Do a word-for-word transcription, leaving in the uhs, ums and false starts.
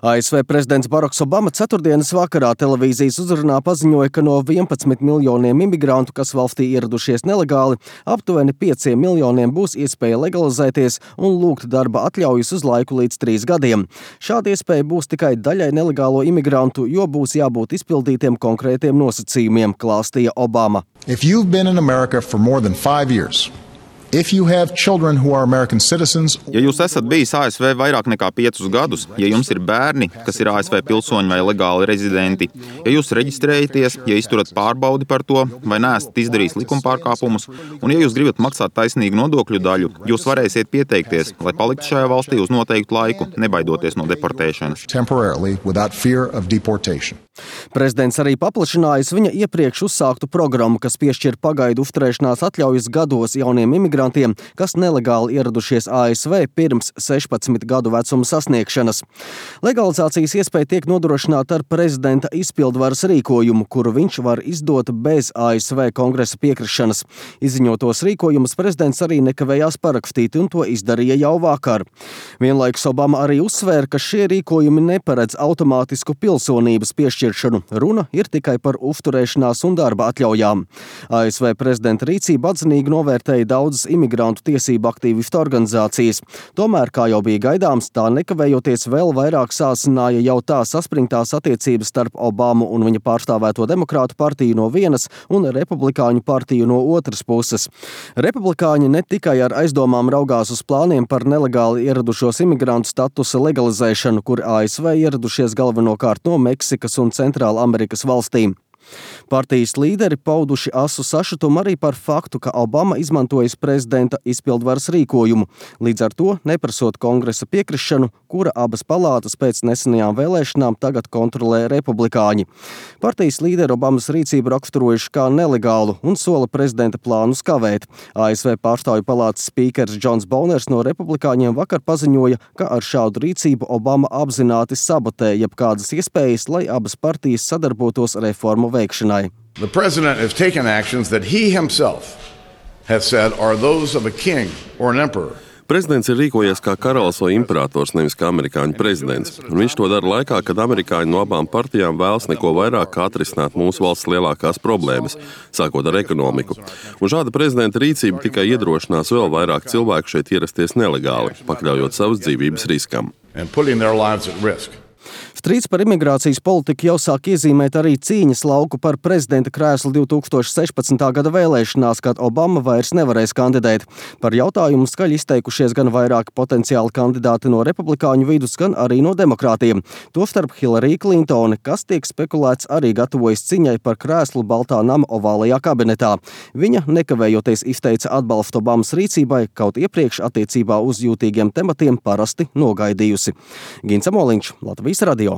A S V prezidents Baraks Obama ceturtdienas vakarā televīzijas uzrunā paziņoja, ka no vienpadsmit miljoniem imigrantu, kas valstī ieradušies nelegāli, aptuveni pieciem miljoniem būs iespēja legalizēties un lūgt darba atļaujas uz laiku līdz trīs gadiem. Šāda iespēja būs tikai daļai nelegālo imigrantu, jo būs jābūt izpildītiem konkrētiem nosacījumiem, klāstīja Obama. If you've been in America for more than five years, if you have children who are American citizens, Ja jūs esat bijis A S V vairāk nekā piecus gadus, ja jums ir bērni, kas ir A S V pilsoņi vai legāli rezidenti, ja jūs reģistrējaties, ja izturat pārbaudi par to, vai neesat izdarījis likumpārkāpumus, un ja jūs gribat maksāt taisnīgu nodokļu daļu, jūs varēsiet pieteikties, lai paliktu šajā valstī uz noteiktu laiku, nebaidoties no deportēšanas. temporarily without fear of deportation. Prezidents arī paplašinājis viņa iepriekš uzsāktu programmu, kas piešķir pagaidu uzturēšanās atļaujas gados jauniem imigrantiem, kas nelegāli ieradušies A S V pirms sešpadsmit gadu vecuma sasniegšanas. Legalizācijas iespēja tiek nodrošināta ar prezidenta izpildvaras rīkojumu, kuru viņš var izdot bez A S V kongresa piekrišanas. Izziņotos rīkojumus prezidents arī nekavējās parakstīt, un to izdarīja jau vakar. Vienlaikus Obama arī uzsvēra, ka šie rīkojumi neparedz automātisku pilsonības piešķiršanu. Runa ir tikai par uzturēšanās un darba atļaujām. A S V prezidenta rīcību atzinīgi novērtēja daudzas imigrantu tiesību aktīvistu organizācijas. Tomēr, kā jau bija gaidāms, tā nekavējoties vēl vairāk sāsināja jau tā saspringtās attiecības starp Obamu un viņa pārstāvēto demokrātu partiju no vienas un republikāņu partiju no otras puses. Republikāņi ne tikai ar aizdomām raugās uz plāniem par nelegāli ieradušos imigrantu statusa legalizēšanu, kur A S V ieradušies galvenokārt no Meksikas un Centrāla Amerikas valstīm. Partijas līderi pauduši asu sašutumu arī par faktu, ka Obama izmantojas prezidenta izpildvaras rīkojumu, līdz ar to neprasot kongresa piekrišanu, kura abas palātas pēc nesenajām vēlēšanām tagad kontrolē republikāņi. Partijas līderi Obamas rīcību raksturojuši kā nelegālu un sola prezidenta plānus kavēt. A S V pārstāvju palātas spīkers Džons Boners no republikāņiem vakar paziņoja, ka ar šādu rīcību Obama apzināti sabotē jebkādas iespējas, lai abas partijas sadarbotos reformu veikšanai. The president has taken actions that he himself has said are those of a king or an emperor. Prezidents ir rīkojies kā karalis vai imperators, nevis kā amerikāņu prezidents. Un viņš to dara laikā, kad amerikāņi no abām partijām vēlas neko vairāk kā atrisināt mūsu valsts lielākās problēmas, sākot ar ekonomiku. Un šāda prezidenta rīcība tikai iedrošinās vēl vairāk cilvēku šeit ierasties nelegāli, pakļaujot savas dzīvības riskam. And putting their lives at risk. Strīds par imigrācijas politiku jau sāk iezīmēt arī cīņas lauku par prezidenta krēslu divi tūkstoši sešpadsmitā gada vēlēšanās, kad Obama vairs nevarēs kandidēt. Par jautājumu skaļi izteikušies gan vairāki potenciāli kandidāti no republikāņu vidus, gan arī no demokrātiem. Tostarp Hillary Clintone, kas tiek spekulēts arī gatavojas ciņai par krēslu Baltā nama ovālajā kabinetā. Viņa nekavējoties izteica atbalstu Obamas rīcībai, kaut iepriekš attiecībā uz jūtīgiem tematiem parasti nogaidījusi. Gins Amoliņš, Latvijas radio.